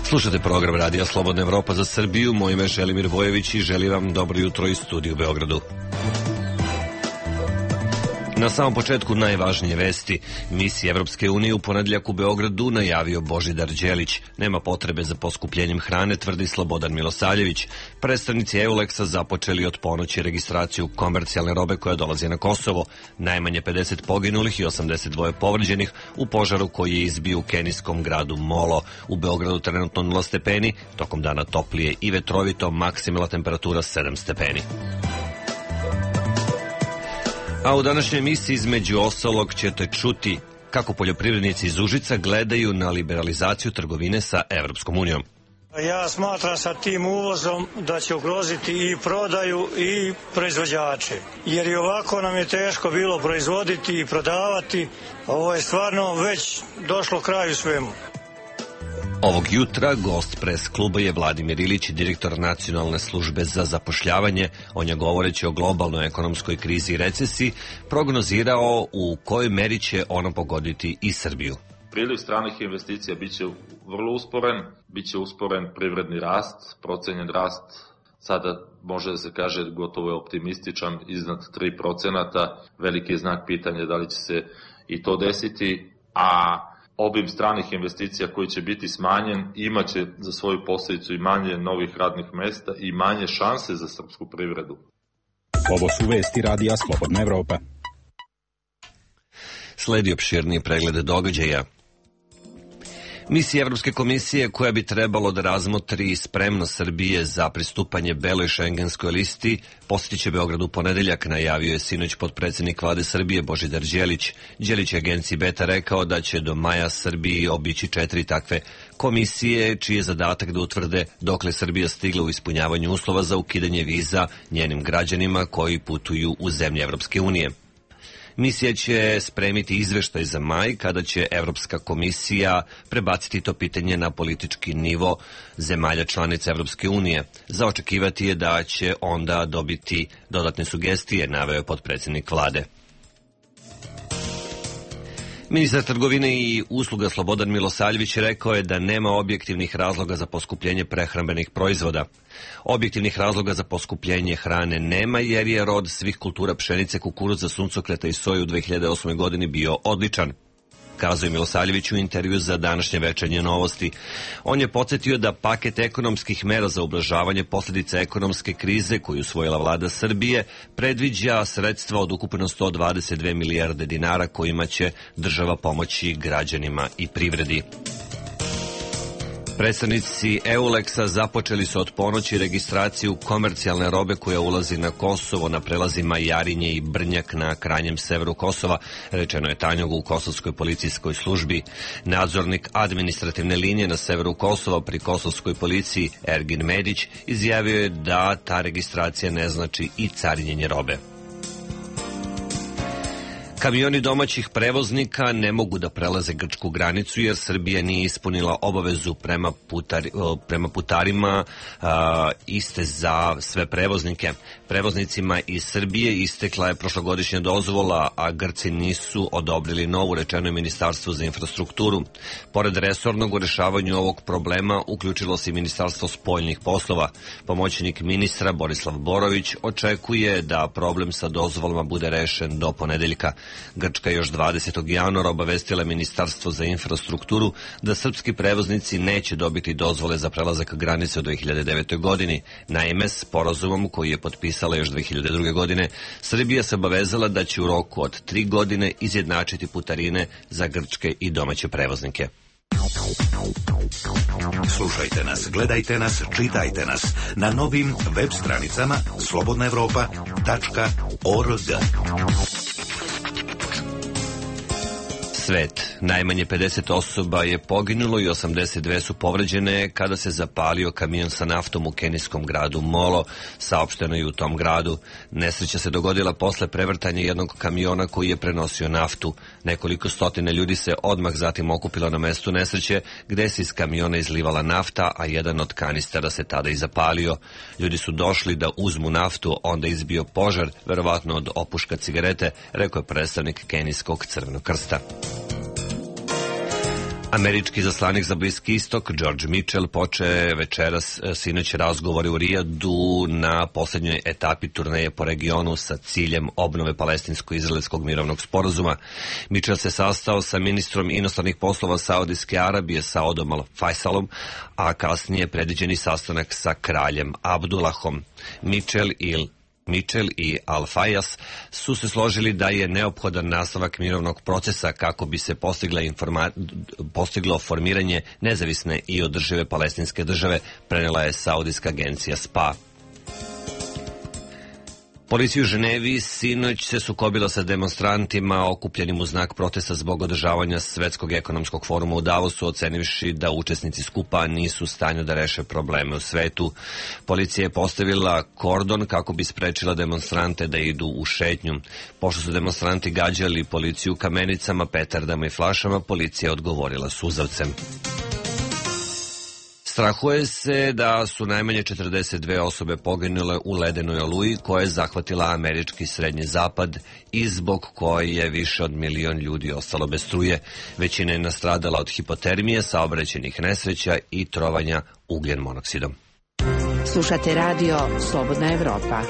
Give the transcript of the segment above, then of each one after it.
Slušate program Radija Slobodna Evropa za Srbiju. Moje ime je Želimir Vojević i želim vam dobro jutro iz studija u Beogradu. Na samom početku najvažnije vesti. Misija Evropske unije u ponedjeljak u Beogradu najavio Božidar Đelić. Nema potrebe za poskupljenjem hrane, tvrdi Slobodan Milosavljević. Predstavnici EULEX-a započeli od ponoći registraciju komercijalne robe koja dolazi na Kosovo. Najmanje 50 poginulih i 82 povređenih u požaru koji je izbio u kenijskom gradu Molo. U Beogradu trenutno 0 stepeni, tokom dana toplije i vetrovito, maksimalna temperatura 7 stepeni. A u današnjoj emisiji između ostalog ćete čuti kako poljoprivrednici iz Užica gledaju na liberalizaciju trgovine sa Evropskom unijom. Ja smatram sa tim uvozom da će ugroziti i prodaju i proizvođače. Jer i ovako nam je teško bilo proizvoditi i prodavati. Ovo je stvarno već došlo kraju svemu. Ovog jutra gost pres kluba je Vladimir Ilić, direktor Nacionalne službe za zapošljavanje. On je govoreći o globalnoj ekonomskoj krizi i recesiji prognozirao u kojoj meri će ona pogoditi i Srbiju. Priliv stranih investicija biće vrlo usporen, biće usporen privredni rast, procenjen rast sada može da se kaže gotovo je optimističan, iznad 3%. Veliki je znak pitanja da li će se i to desiti, a obim stranih investicija koji će biti smanjen imaće za svoju posljedicu i manje novih radnih mesta i manje šanse za srpsku privredu. Ovo su vesti Radija Slobodna Evropa. Sledi opširniji pregled događaja. Misija Evropske komisije koja bi trebalo da razmotri spremnost Srbije za pristupanje beloj šengenskoj listi posjetit će Beograd u ponedeljak, najavio je sinoć potpredsjednik Vlade Srbije Božidar Đelić. Đelić je agenciji Beta rekao da će do maja Srbiji obići 4 takve komisije, čiji je zadatak da utvrde dokle Srbija stigla u ispunjavanju uslova za ukidanje viza njenim građanima koji putuju u zemlje Evropske unije. Misija će spremiti izveštaj za maj, kada će Evropska komisija prebaciti to pitanje na politički nivo zemalja članica Evropske unije. Za očekivati je da će onda dobiti dodatne sugestije, naveo je potpredsjednik Vlade. Ministar trgovine i usluga Slobodan Milosavljević rekao je da nema objektivnih razloga za poskupljenje prehrambenih proizvoda. Objektivnih razloga za poskupljenje hrane nema jer je rod svih kultura pšenice, kukuruza, suncokreta i soje u 2008. godini bio odličan, kazao je Milosavljević u intervju za današnje Večernje novosti. On je podsjetio da paket ekonomskih mera za ublažavanje posljedica ekonomske krize koju usvojila vlada Srbije predviđa sredstva od ukupno 122 milijarde dinara kojima će država pomoći građanima i privredi. Predstavnici EULEX-a započeli su od ponoći registraciju komercijalne robe koja ulazi na Kosovo na prelazima Jarinje i Brnjak na krajnjem severu Kosova, rečeno je Tanjugu u kosovskoj policijskoj službi. Nadzornik administrativne linije na severu Kosova pri kosovskoj policiji Ergin Medić izjavio je da ta registracija ne znači i carinjenje robe. Kamioni domaćih prevoznika ne mogu da prelaze grčku granicu jer Srbija nije ispunila obavezu prema putarima iste za sve prevoznike. Prevoznicima iz Srbije istekla je prošlogodišnja dozvola, a Grci nisu odobrili novu, rečeno je Ministarstvo za infrastrukturu. Pored resornog u rešavanju ovog problema uključilo se i Ministarstvo spoljnih poslova. Pomoćnik ministra Borislav Borović očekuje da problem sa dozvolama bude rešen do ponedeljka. Grčka još 20. januara obavestila Ministarstvo za infrastrukturu da srpski prevoznici neće dobiti dozvole za prelazak granice u 2009. godini. Naime, sporazumom koji je potpisala još 2002. godine, Srbija se obavezala da će u roku od 3 godine izjednačiti putarine za grčke i domaće prevoznike. Slušajte nas, gledajte nas, čitajte nas na novim web stranicama slobodnaevropa.org. Svet. Najmanje 50 osoba je poginulo i 82 su povređene kada se zapalio kamion sa naftom u kenijskom gradu Molo, saopšteno je u tom gradu. Nesreća se dogodila posle prevrtanja jednog kamiona koji je prenosio naftu. Nekoliko stotina ljudi se odmah zatim okupilo na mestu nesreće, gde se iz kamiona izlivala nafta, a jedan od kanistera se tada i zapalio. Ljudi su došli da uzmu naftu, onda izbio požar, verovatno od opuška cigarete, rekao je predstavnik kenijskog Crvenog krsta. Američki zaslanik za Bliski istok George Mitchell poče večeras sinoć razgovore u Rijadu na posljednjoj etapi turneje po regionu sa ciljem obnove palestinsko-izraelskog mirovnog sporazuma. Mitchell se sastao sa ministrom inostranih poslova Saudijske Arabije Saudom Al-Faisalom, a kasnije predviđeni sastanak sa kraljem Abdullahom. Mitchell i Al-Fayas su se složili da je neophodan nastavak mirovnog procesa kako bi se postiglo formiranje nezavisne i održive palestinske države, prenela je saudijska agencija SPA. Policija u Ženevi sinoć se sukobila sa demonstrantima okupljenim u znak protesta zbog održavanja Svetskog ekonomskog foruma u Davosu, ocenivši da učesnici skupa nisu u stanju da reše probleme u svetu. Policija je postavila kordon kako bi sprečila demonstrante da idu u šetnju. Pošto su demonstranti gađali policiju kamenicama, petardama i flašama, policija je odgovorila suzavcem. Strahuje se da su najmanje 42 osobe poginule u ledenoj oluji koja je zahvatila američki srednji zapad i zbog koje je više od 1 milion ljudi ostalo bez struje. Većina je nastradala od hipotermije, saobraćajnih nesreća i trovanja ugljen monoksidom. Slušate radio Slobodna Evropa.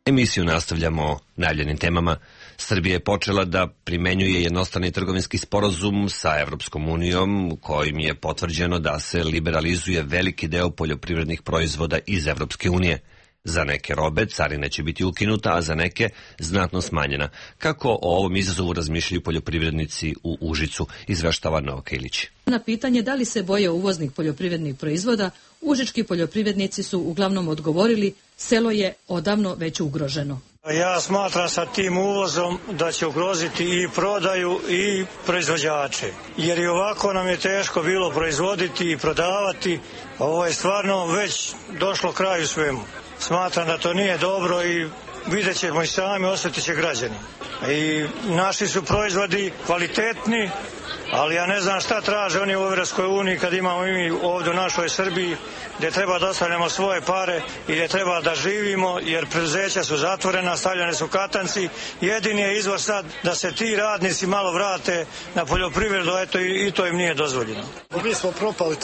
Emisiju nastavljamo najavljenim temama. Srbija je počela da primenjuje jednostrani trgovinski sporazum sa Evropskom unijom, kojim je potvrđeno da se liberalizuje veliki deo poljoprivrednih proizvoda iz Evropske unije. Za neke robe carina će biti ukinuta, a za neke znatno smanjena. Kako o ovom izazovu razmišljaju poljoprivrednici u Užicu, izveštava Novka Ilić. Na pitanje da li se boje uvoznih poljoprivrednih proizvoda, užički poljoprivrednici su uglavnom odgovorili: selo je odavno već ugroženo. Ja smatram sa tim uvozom da će ugroziti i prodaju i proizvođače. Jer i ovako nam je teško bilo proizvoditi i prodavati. Ovo je stvarno već došlo kraju svemu. Smatram da to nije dobro i vidjet ćemo i sami, osjetit će građani. I naši su proizvodi kvalitetni, ali ja ne znam šta traže oni u Evropskoj uniji kad imamo mi ovdje u našoj Srbiji, gdje treba da ostavljamo svoje pare i gdje treba da živimo, jer preduzeća su zatvorena, stavljene su katanci. Jedini je izvor sad da se ti radnici malo vrate na poljoprivredu, eto i to im nije dozvoljeno. Mi smo propali,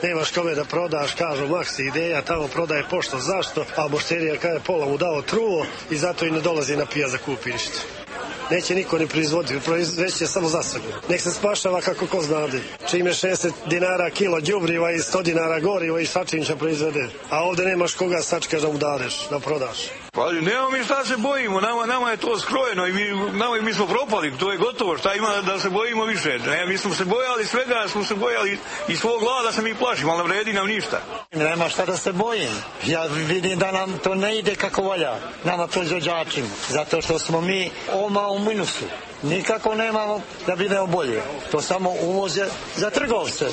nemaš kome da prodaš, kažu Maksi Ideja, tamo prodaje pošto, zašto, a Bošterija kada je pola mu dao truo i zato i ne dolazi na pijac da kupi ništa. Neće niko ni proizvoditi, proizveće samo za sebe. Nek se spašava kako ko znade. Čim je 60 dinara kilo đubriva i 100 dinara goriva i svačim će proizvede. A ovdje nemaš koga sačkaš da mu dadeš, da prodaš. Pa nemamo mi šta se bojimo, nama je to skrojeno i mi smo propali, to je gotovo, šta ima da se bojimo više. Ne, mi smo se bojali svega, smo se bojali i svog glada se mi plašimo, ali ne vredi nam ništa. Nema šta da se bojim. Ja vidim da nam to ne ide kako valja, nama proizvođačima, zato što smo mi u minusu. Nikako nemamo da budemo bolje. To samo uvoze za trgovce.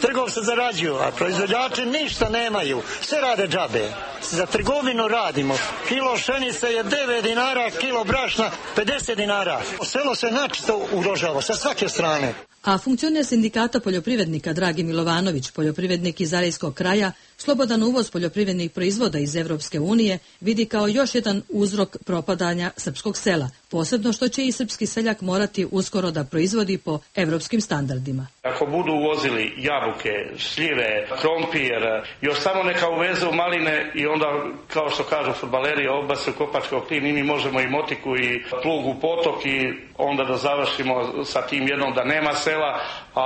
Trgovce zarađuju, a proizvođači ništa nemaju. Sve rade džabe. Za trgovinu radimo. Kilo pšenice je 9 dinara, kilo brašna 50 dinara. Selo se načito ugrožava sa svake strane. A funkcioner sindikata poljoprivrednika Dragi Milovanović, poljoprivrednik iz Arejskog kraja, slobodan uvoz poljoprivrednih proizvoda iz Evropske unije vidi kao još jedan uzrok propadanja srpskog sela, posebno što će i srpski seljak morati uskoro da proizvodi po evropskim standardima. Ako budu uvozili jabuke, šljive, krompir, još samo neka uvezu maline i onda, kao što kažu fudbaleri, obasu kopačkog klin i mi možemo i motiku i plug u potok i onda da završimo sa tim jednom da nema sela, a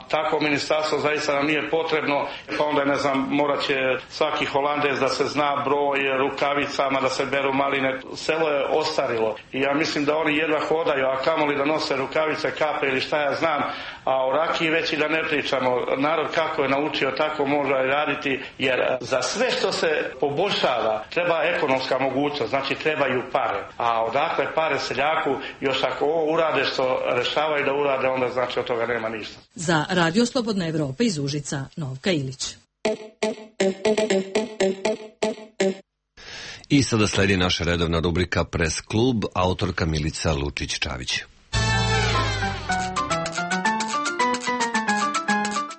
tako ministarstvo zaista nam nije potrebno, pa onda ne znam, morat će svaki Holandez da se zna broj rukavicama, da se beru maline. Selo je ostarilo i ja mislim da oni jedva hodaju, a kamoli da nose rukavice, kape ili šta ja znam, a o rakiji već i da ne pričamo. Narod kako je naučio, tako može raditi, jer za sve što se poboljšava treba ekonomska mogućnost, znači trebaju pare. A odakle pare seljaku, još ako ovo urade što rešavaju da urade, onda znači od toga nema ništa. Za Radio Slobodna Evropa iz Užica, Novka Ilić. I sada sledi naša redovna rubrika Pres klub, autorka Milica Lučić-Čavić.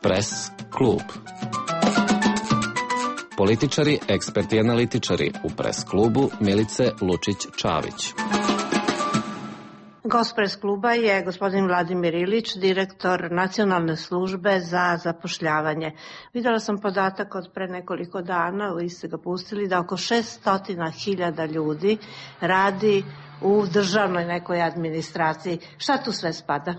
Pres klub. Političari, eksperti i analitičari u Pres klubu Milice Lučić-Čavić. Gost pres kluba je gospodin Vladimir Ilić, direktor Nacionalne službe za zapošljavanje. Videla sam podatak od pre nekoliko dana, vi ste ga pustili, da oko 600.000 ljudi radi u državnoj nekoj administraciji. Šta tu sve spada?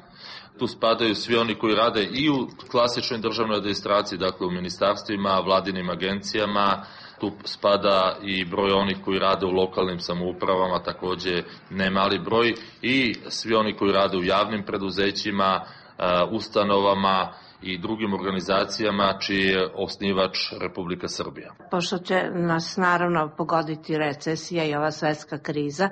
Tu spadaju svi oni koji rade i u klasičnoj državnoj administraciji, dakle u ministarstvima, vladinim agencijama. Tu spada i broj onih koji rade u lokalnim samoupravama, takođe ne mali broj, i svi oni koji rade u javnim preduzećima, ustanovama i drugim organizacijama čiji je osnivač Republika Srbija. Pošto će nas naravno pogoditi recesija i ova svetska kriza,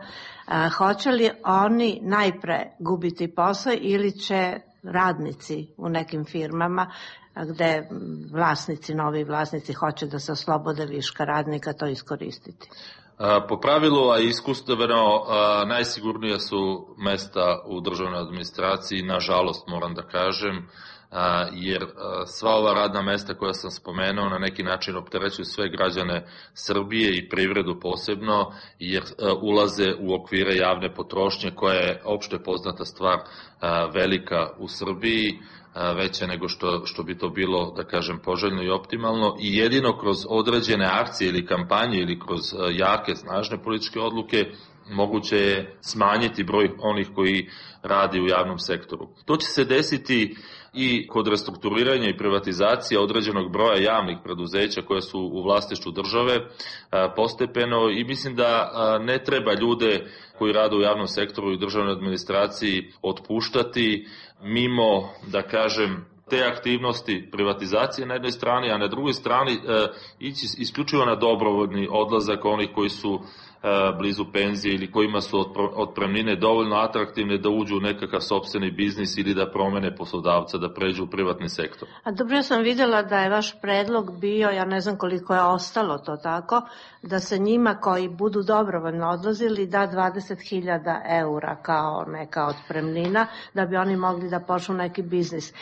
hoće li oni najpre gubiti posao ili će radnici u nekim firmama gde novi vlasnici hoće da se oslobode viška radnika to iskoristiti? Po pravilu, a iskustveno, najsigurnija su mesta u državnoj administraciji, nažalost moram da kažem, jer sva ova radna mesta koja sam spomenuo na neki način opterećuju sve građane Srbije i privredu posebno, jer ulaze u okvire javne potrošnje koja je opšte poznata stvar velika u Srbiji, veće nego što bi to bilo, da kažem, poželjno i optimalno, i jedino kroz određene akcije ili kampanje ili kroz jake, snažne političke odluke moguće je smanjiti broj onih koji radi u javnom sektoru. To će se desiti i kod restrukturiranja i privatizacije određenog broja javnih preduzeća koje su u vlasništvu države postepeno, i mislim da ne treba ljude koji rade u javnom sektoru i državnoj administraciji otpuštati mimo, da kažem, te aktivnosti privatizacije na jednoj strani, a na drugoj strani ići isključivo na dobrovoljni odlazak onih koji su blizu penzije ili kojima su otpremnine dovoljno atraktivne da uđu u nekakav sopstveni biznis ili da promene poslodavca, da pređu u privatni sektor. A dobro, ja sam videla da je vaš predlog bio, ja ne znam koliko je ostalo to tako, da se njima koji budu dobrovoljno odlazili da 20.000 eura kao neka otpremnina, da bi oni mogli da počnu neki biznis.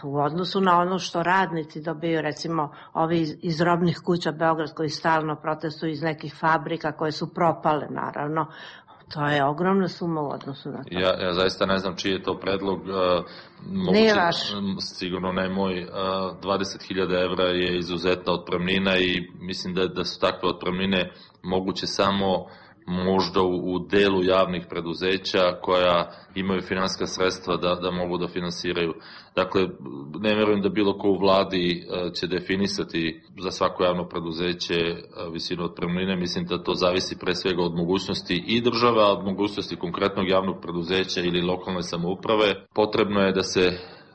U odnosu na ono što radnici dobiju, recimo ovi iz robnih kuća Beograd koji stalno protestuju iz nekih fabrika koje su propale, naravno, to je ogromna suma u odnosu na to. Ja zaista ne znam čiji je to predlog. Nije vaš. Sigurno ne moj. 20.000 evra je izuzetna otpremnina i mislim da su takve otpremnine moguće samo možda u delu javnih preduzeća koja imaju finansijska sredstva da mogu da finansiraju. Dakle, ne verujem da bilo ko u vladi će definisati za svako javno preduzeće visinu otpremnine. Mislim da to zavisi pre svega od mogućnosti i države, od mogućnosti konkretnog javnog preduzeća ili lokalne samouprave. Potrebno je da se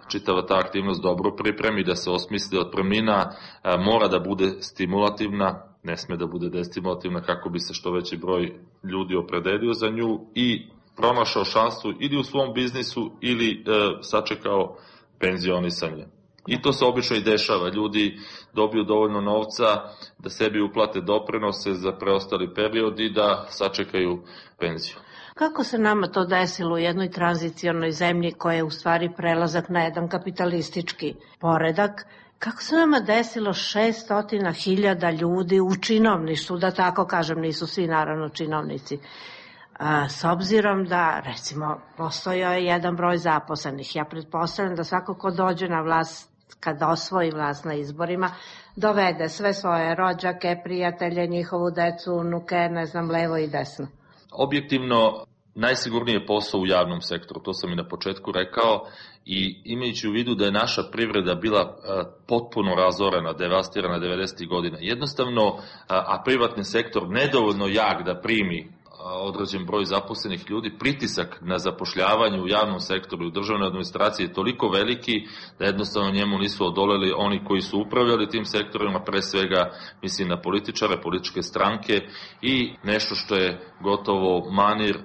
čitava ta aktivnost dobro pripremi, da se osmisli. Otpremnina mora da bude stimulativna, ne sme da bude destimulativna, kako bi se što veći broj ljudi opredelio za nju i pronašao šansu ili u svom biznisu ili sačekao penzionisanje. I to se obično i dešava. Ljudi dobiju dovoljno novca da sebi uplate doprinose za preostali period i da sačekaju penziju. Kako se nama to desilo u jednoj tranzicionoj zemlji koja je u stvari prelazak na jedan kapitalistički poredak? Kako se nama desilo 600.000 ljudi u činovništvu, da tako kažem, nisu svi naravno činovnici, s obzirom da, recimo, postojao je jedan broj zaposlenih. Ja pretpostavljam da svako ko dođe na vlast, kada osvoji vlast na izborima, dovede sve svoje rođake, prijatelje, njihovu decu, unuke, ne znam, levo i desno. Objektivno, najsigurniji je posao u javnom sektoru, to sam i na početku rekao, i imajući u vidu da je naša privreda bila potpuno razorena, devastirana 90. godina, jednostavno, a privatni sektor nedovoljno jak da primi određen broj zaposlenih ljudi, pritisak na zapošljavanje u javnom sektoru i u državnoj administraciji je toliko veliki da jednostavno njemu nisu odoleli oni koji su upravljali tim sektorima, pre svega mislim na političare, političke stranke, i nešto što je gotovo manir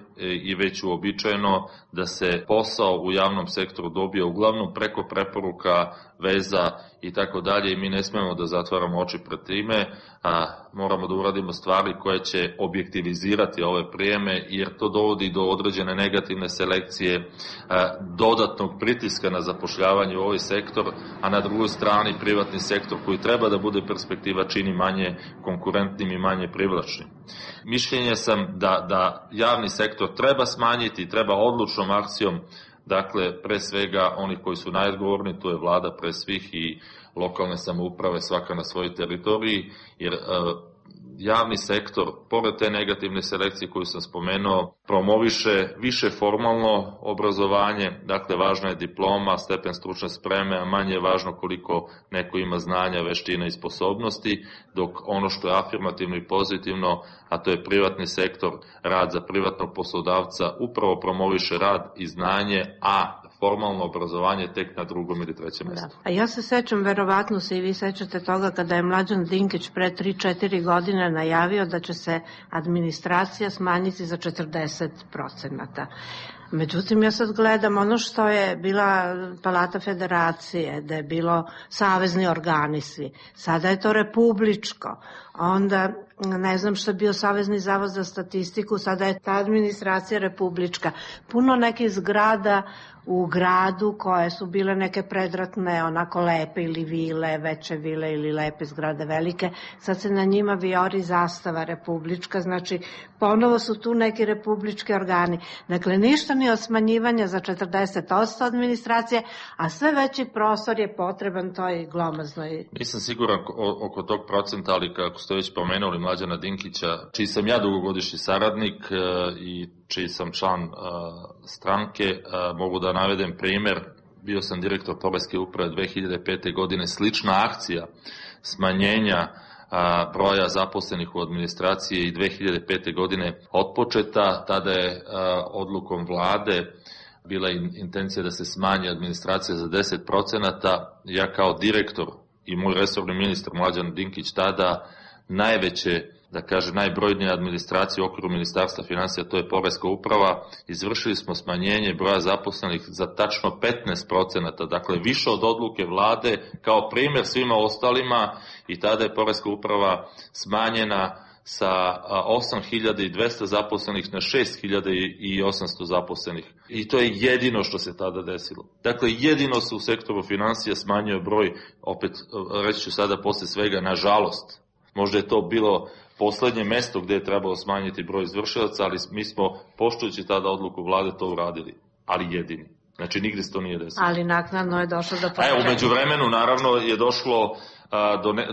i već uobičajeno, da se posao u javnom sektoru dobije uglavnom preko preporuka, veza i tako dalje, i mi ne smemo da zatvaramo oči pred time, a moramo da uradimo stvari koje će objektivizirati ove prijeme, jer to dovodi do određene negativne selekcije, dodatnog pritiska na zapošljavanje u ovaj sektor, a na drugoj strani privatni sektor koji treba da bude perspektiva čini manje konkurentnim i manje privlačnim. Mišljenja sam da javni sektor treba smanjiti, treba odlučnom akcijom, dakle, pre svega oni koji su najodgovorni, tu je vlada pre svih i lokalne samouprave, svaka na svojoj teritoriji, jer javni sektor, pored te negativne selekcije koju sam spomenuo, promoviše više formalno obrazovanje, dakle važna je diploma, stepen stručne spreme, a manje je važno koliko neko ima znanja, veština i sposobnosti, dok ono što je afirmativno i pozitivno, a to je privatni sektor, rad za privatnog poslodavca, upravo promoviše rad i znanje, a formalno obrazovanje tek na drugom ili trećem mjestu. A ja se sećam, verovatno se i vi sećate toga, kada je Mlađan Dinkić pre 3-4 godine najavio da će se administracija smanjiti za 40%. Međutim, ja sad gledam ono što je bila Palata Federacije, da je bilo savezni organi svi. Sada je to republičko. Onda, ne znam što je bio Savezni zavod za statistiku, sada je ta administracija republička. Puno nekih zgrada u gradu koje su bile neke predratne, onako lepe ili vile, veće vile ili lepe zgrade velike, sad se na njima vijori zastava republička, znači ponovo su tu neki republički organi. Dakle, ništa ni od smanjivanja za 40% administracije, a sve veći prostor je potreban toj glomaznoj. Nisam siguran oko tog procenta, ali kako ste već pomenuli Mlađana Dinkića, čiji sam ja dugogodišnji saradnik i čiji sam član stranke, mogu da navedem primer. Bio sam direktor Poreske uprave 2005. godine, slična akcija smanjenja broja zaposlenih u administraciji i 2005. godine otpočeta. Tada je odlukom vlade bila intencija da se smanji administracija za 10%. Ja kao direktor i moj resorni ministar Mlađan Dinkić tada najveće, da kaže, najbrojnije administracije u okviru Ministarstva financija, to je Poreska uprava, izvršili smo smanjenje broja zaposlenih za tačno 15%, dakle više od odluke vlade, kao primjer svima ostalima, i tada je Poreska uprava smanjena sa 8.200 zaposlenih na 6.800 zaposlenih. I to je jedino što se tada desilo. Dakle, jedino se u sektoru financija smanjio broj, opet reći ću sada posle svega, nažalost. Možda je to bilo poslednje mesto gde je trebalo smanjiti broj izvršilaca, ali mi smo, poštujući tada odluku vlade, to uradili. Ali jedini. Znači, nigde se to nije desilo. Ali naknadno je došlo do povećanja. U međuvremenu, naravno, je došlo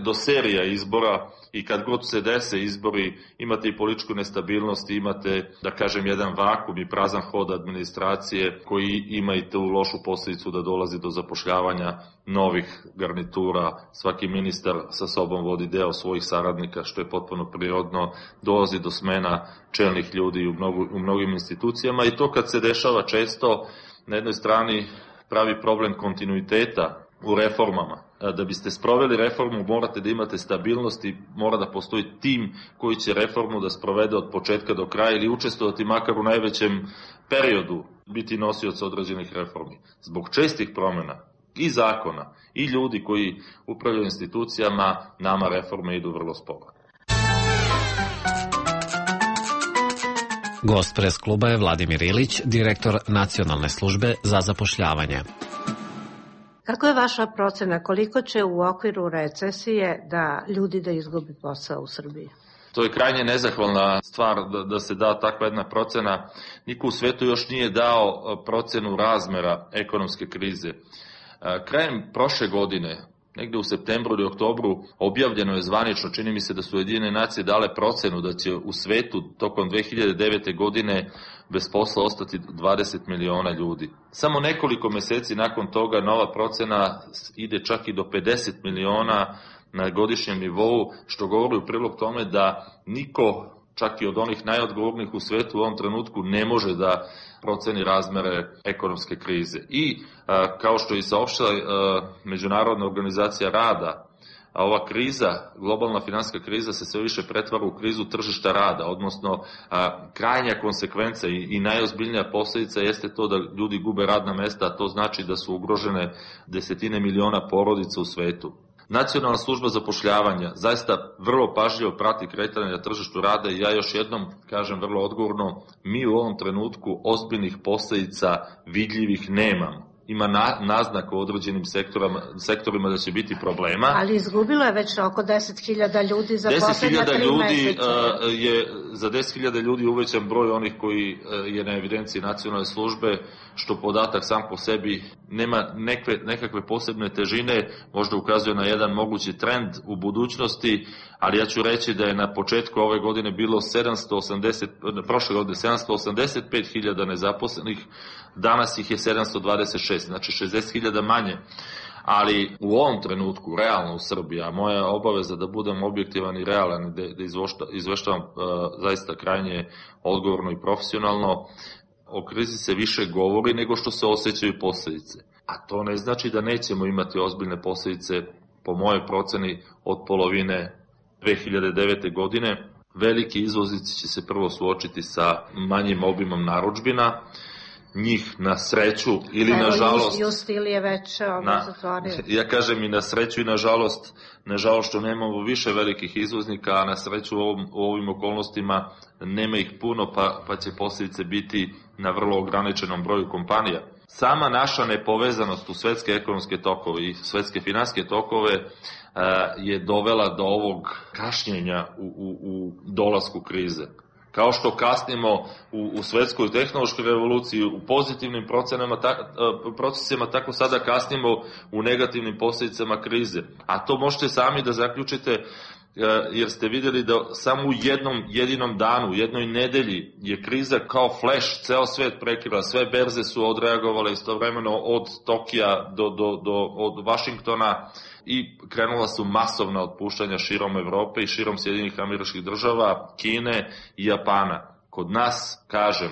do serija izbora i kad god se dese izbori, imate i političku nestabilnost, imate, da kažem, jedan vakum i prazan hod administracije koji ima i tu lošu posljedicu da dolazi do zapošljavanja novih garnitura. Svaki ministar sa sobom vodi deo svojih saradnika, što je potpuno prirodno, dolazi do smena čelnih ljudi u mnogim institucijama i to kad se dešava često, na jednoj strani pravi problem kontinuiteta u reformama. Da biste sproveli reformu morate da imate stabilnost i mora da postoji tim koji će reformu da sprovede od početka do kraja ili učestvovati makar u najvećem periodu biti nosioc određenih reformi. Zbog čestih promjena i zakona i ljudi koji upravljaju institucijama, nama reforme idu vrlo sporo. Gost pres kluba je Vladimir Ilić, direktor Nacionalne službe za zapošljavanje. Kako je vaša procena, koliko će u okviru recesije ljudi da izgubi posao u Srbiji? To je krajnje nezahvalna stvar da se da takva jedna procena. Niko u svetu još nije dao procenu razmera ekonomske krize. Krajem prošle godine, negde u septembru ili oktobru, objavljeno je zvanično, čini mi se da su Ujedinjene nacije dale procenu da će u svetu tokom 2009. godine bez posla ostati 20 miliona ljudi. Samo nekoliko meseci nakon toga nova procena ide čak i do 50 miliona na godišnjem nivou, što govori u prilog tome da niko, čak i od onih najodgovornijih u svetu u ovom trenutku, ne može da proceni razmere ekonomske krize. I kao što i saopštila Međunarodna organizacija rada, a ova kriza, globalna finansijska kriza, se sve više pretvara u krizu tržišta rada, odnosno krajnja konsekvenca i najozbiljnija posljedica jeste to da ljudi gube radna mesta, a to znači da su ugrožene desetine miliona porodica u svetu. Nacionalna služba zapošljavanja zaista vrlo pažljivo prati kretanje na tržištu rada i ja još jednom kažem vrlo odgovorno, mi u ovom trenutku ozbiljnih posljedica vidljivih nemamo. ima naznak u određenim sektorima da će biti problema. Ali izgubilo je već oko 10.000 ljudi za poslednja 3 meseca. Za 10.000 ljudi uvećan broj onih koji je na evidenciji nacionalne službe, što podatak sam po sebi nema nekakve posebne težine, možda ukazuje na jedan mogući trend u budućnosti, ali ja ću reći da je na početku ove godine bilo prošle godine 785.000 nezaposlenih, danas ih je 726, znači 60.000 manje. Ali u ovom trenutku, realno u Srbiji, a moja obaveza da budem objektivan i realan, da izveštavam zaista krajnje odgovorno i profesionalno, o krizi se više govori nego što se osjećaju posljedice. A to ne znači da nećemo imati ozbiljne posljedice, po mojoj proceni, od polovine 2009. godine. Veliki izvoznici će se prvo suočiti sa manjim obimom narudžbina, njih na sreću ili na žalost... Justil je već zatvorio. Ja kažem i na sreću i na žalost što nemamo više velikih izvoznika, a na sreću u ovim okolnostima nema ih puno, pa će posljedice biti na vrlo ograničenom broju kompanija. Sama naša nepovezanost u svetske ekonomske tokove i svetske finansijske tokove je dovela do ovog kašnjenja u dolasku krize. Kao što kasnimo u svetskoj tehnološkoj revoluciji u pozitivnim procesima, tako sada kasnimo u negativnim posljedicama krize. A to možete sami da zaključite, jer ste vidjeli da samo u jednom jedinom danu, u jednoj nedelji je kriza kao flash, ceo svet prekrila, sve berze su odreagovale istovremeno od Tokija od Vašingtona i krenula su masovna otpuštanja širom Evrope i širom Sjedinjenih Američkih Država, Kine i Japana. Kod nas, kažem,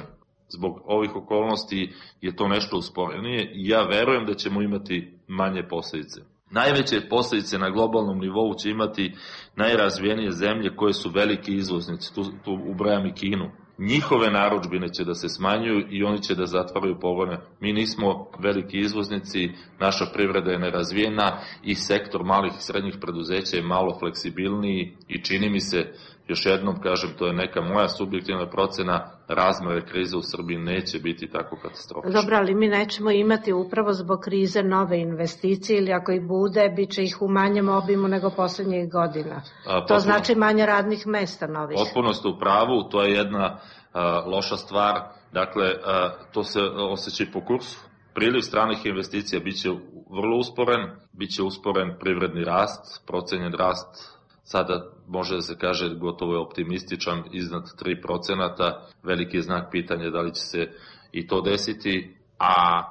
zbog ovih okolnosti je to nešto usporenije i ja verujem da ćemo imati manje posljedice. Najveće posljedice na globalnom nivou će imati najrazvijenije zemlje koje su veliki izvoznici, tu ubrajam i Kinu. Njihove narudžbine će da se smanjuju i oni će da zatvaraju pogone. Mi nismo veliki izvoznici, naša privreda je nerazvijena i sektor malih i srednjih preduzeća je malo fleksibilniji i čini mi se, još jednom kažem, to je neka moja subjektivna procena, razmere krize u Srbiji neće biti tako katastrofične. Dobro, ali mi nećemo imati upravo zbog krize nove investicije ili ako i bude, bit će ih u manjem obimu nego poslednjih godina. To znači manje radnih mesta novih. Potpuno ste u pravu, to je jedna loša stvar, dakle, to se osjeća i po kursu. Priliv stranih investicija biće vrlo usporen, biće usporen privredni rast, procenjen rast sada može da se kaže gotovo je optimističan, iznad 3%, veliki je znak pitanja da li će se i to desiti, a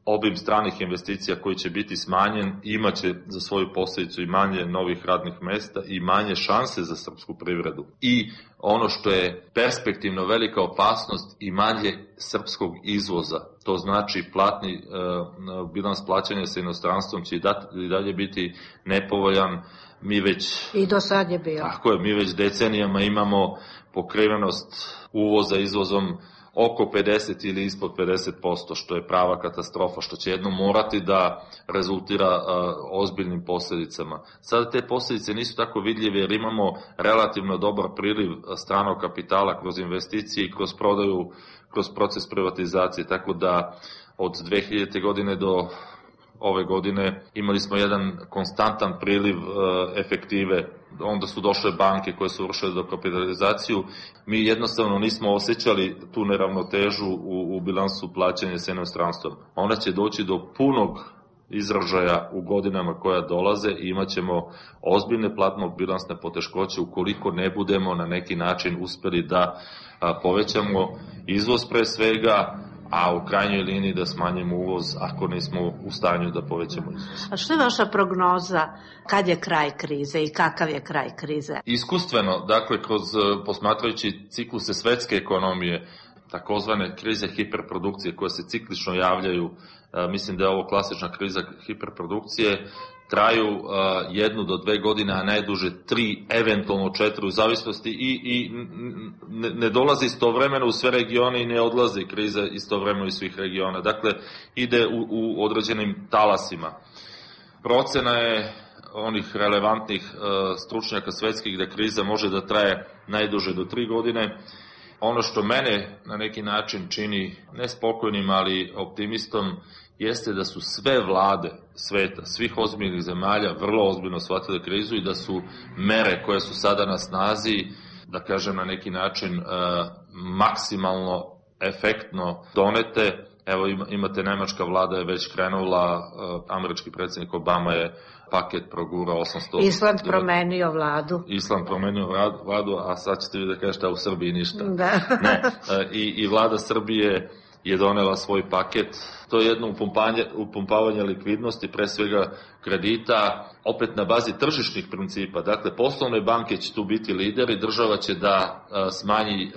obim stranih investicija koji će biti smanjen imaće za svoju posljedicu i manje novih radnih mesta i manje šanse za srpsku privredu. I ono što je perspektivno velika opasnost i manje srpskog izvoza, to znači platni bilans plaćanja sa inostranstvom će i dalje biti nepovoljan. Mi već, i do sad je bio. Tako je, mi već decenijama imamo pokrivenost uvoza izvozom oko 50 ili ispod 50%, što je prava katastrofa, što će jednom morati da rezultira ozbiljnim posljedicama. Sada te posljedice nisu tako vidljive jer imamo relativno dobar priliv stranog kapitala kroz investicije i kroz prodaju, kroz proces privatizacije, tako da od 2000. godine do ove godine imali smo jedan konstantan priliv efektive, onda su došle banke koje su vršile dokapitalizaciju. Mi jednostavno nismo osjećali tu neravnotežu u bilansu plaćanja sa inostranstvom. Ona će doći do punog izražaja u godinama koja dolaze i imat ćemo ozbiljne platno-bilansne poteškoće ukoliko ne budemo na neki način uspeli da povećamo izvoz pre svega, a u krajnjoj liniji da smanjimo uvoz ako nismo u stanju da povećamo izvoz. A što je vaša prognoza kad je kraj krize i kakav je kraj krize? Iskustveno, dakle, kroz posmatrajući cikluse svetske ekonomije, takozvane krize hiperprodukcije koje se ciklično javljaju, mislim da je ovo klasična kriza hiperprodukcije, traju 1 do 2 godine, a najduže 3, eventualno 4 u zavisnosti i ne dolazi istovremeno u sve regione i ne odlazi kriza istovremeno iz svih regiona. Dakle, ide u određenim talasima. Procena je onih relevantnih stručnjaka svetskih da kriza može da traje najduže do 3 godine Ono što mene na neki način čini nespokojnim, ali optimistom, jeste da su sve vlade sveta, svih ozbiljnih zemalja vrlo ozbiljno shvatile krizu i da su mere koje su sada na snazi, da kažem na neki način maksimalno efektno donete. Evo imate, nemačka vlada je već krenula, američki predsjednik Obama je paket progurao 800... Island promenio vladu. Island promenio vladu, a sad ćete vi da kažete, a u Srbiji ništa. Da. Ne, i vlada Srbije je donela svoj paket. To je jedno upumpavanje likvidnosti, pre svega kredita, opet na bazi tržišnih principa. Dakle, poslovne banke će tu biti lideri, država će da smanji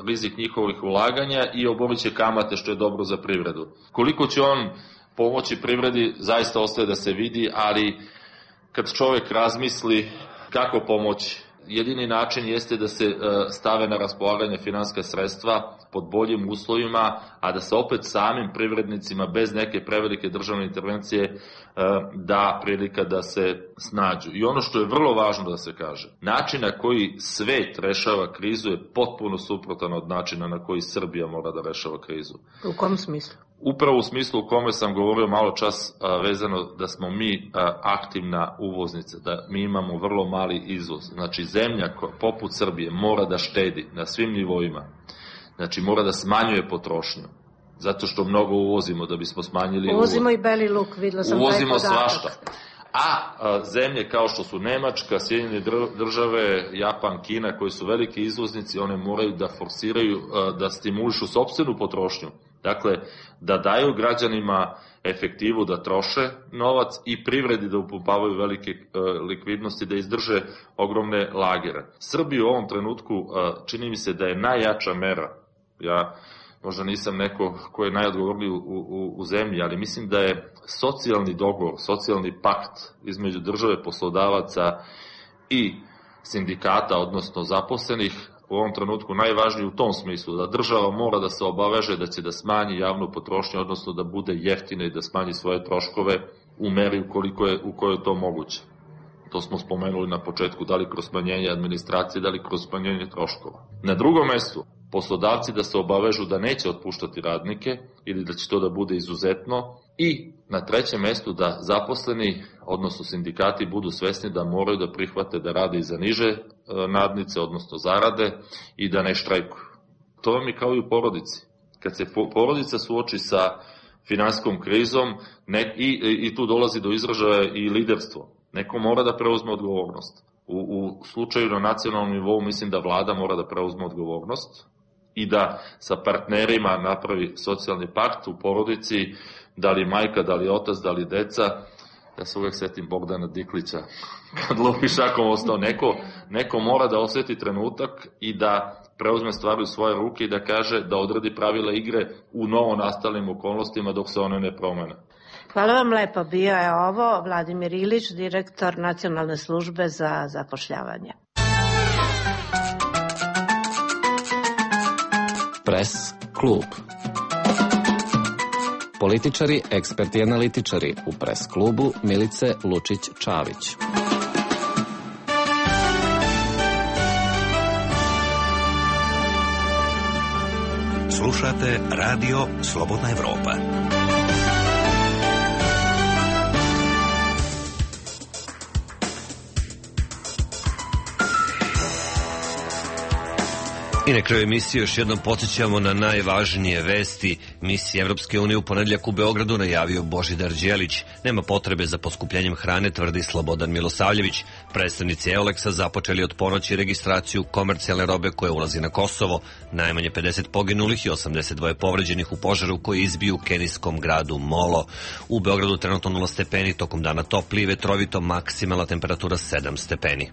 rizik njihovih ulaganja i oborit će kamate, što je dobro za privredu. Koliko će on pomoći privredi, zaista ostaje da se vidi, ali kad čovjek razmisli kako pomoći, jedini način jeste da se stave na raspolaganje finansijska sredstva pod boljim uslovima, a da se opet samim privrednicima bez neke prevelike državne intervencije da prilika da se snađu. I ono što je vrlo važno da se kaže, način na koji svet rešava krizu je potpuno suprotan od načina na koji Srbija mora da rešava krizu. U kom smislu? Upravo u smislu u kome sam govorio malo čas vezano da smo mi aktivna uvoznica, da mi imamo vrlo mali izvoz. Znači zemlja poput Srbije mora da štedi na svim nivoima, znači mora da smanjuje potrošnju, zato što mnogo uvozimo da bismo smanjili uvoz. Uvozimo i beli luk, videla sam taj podatak. Uvozimo svašta. A zemlje kao što su Nemačka, Sjedinjene države, Japan, Kina, koji su veliki izvoznici, one moraju da forsiraju, da stimulišu sopstvenu potrošnju. Dakle, da daju građanima efektivu da troše novac i privredi da upumpavaju velike likvidnosti, da izdrže ogromne lagere. Srbiji u ovom trenutku čini mi se da je najjača mera. Ja možda nisam neko ko je najodgovorniji u zemlji, ali mislim da je socijalni dogovor, socijalni pakt između države, poslodavaca i sindikata, odnosno zaposlenih, u ovom trenutku najvažniji u tom smislu, da država mora da se obaveže da će da smanji javnu potrošnju, odnosno da bude jeftina i da smanji svoje troškove u meri u kojoj je to moguće. To smo spomenuli na početku, da li kroz smanjenje administracije, da li kroz smanjenje troškova. Na drugom mestu, poslodavci da se obavežu da neće otpuštati radnike ili da će to da bude izuzetno, i na trećem mestu da zaposleni, odnosno sindikati, budu svesni da moraju da prihvate da rade i za niže nadnice, odnosno zarade, i da ne štrajkuju. To vam je kao i u porodici. Kad se porodica suoči sa finansijskom krizom i tu dolazi do izražaja i liderstvo, neko mora da preuzme odgovornost. U slučaju na nacionalnom nivou mislim da vlada mora da preuzme odgovornost i da sa partnerima napravi socijalni pakt u porodici, da li majka, da li otac, da li deca. Ja se uvek setim Bogdana Diklića, kad lupi šakom ostao, neko mora da osjeti trenutak i da preuzme stvari u svoje ruke i da kaže, da odredi pravila igre u novo nastalim okolnostima dok se one ne promene. Hvala vam lepo. Bio je ovo Vladimir Ilić, direktor Nacionalne službe za zapošljavanje. Pres klub. Političari, eksperti i analitičari u Pres klubu Milice Lučić-Čavić. Slušate Radio Slobodna Evropa. I na kraju emisije još jednom podsjećamo na najvažnije vesti. Misija Evropske unije u ponedeljak u Beogradu najavio Božidar Đelić. Nema potrebe za poskupljenjem hrane, tvrdi Slobodan Milosavljević. Predstavnici EULEX-a započeli od ponoći registraciju komercijalne robe koja ulazi na Kosovo. Najmanje 50 poginulih i 82 povređenih u požaru koji izbiju u kenijskom gradu Molo. U Beogradu trenutno 0 stepeni, tokom dana topli i vetrovito, maksimalna temperatura 7 stepeni.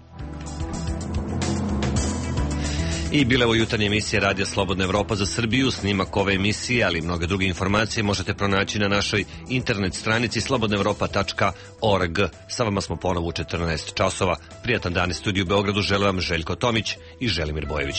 I bile ovo jutarnje emisije Radija Slobodna Evropa za Srbiju. Snimak ove emisije, ali i mnoge druge informacije možete pronaći na našoj internet stranici slobodnaevropa.org. Sa vama smo ponovo u 14 časova. Prijatan dan iz studiju u Beogradu žele vam Željko Tomić i Želimir Bojević.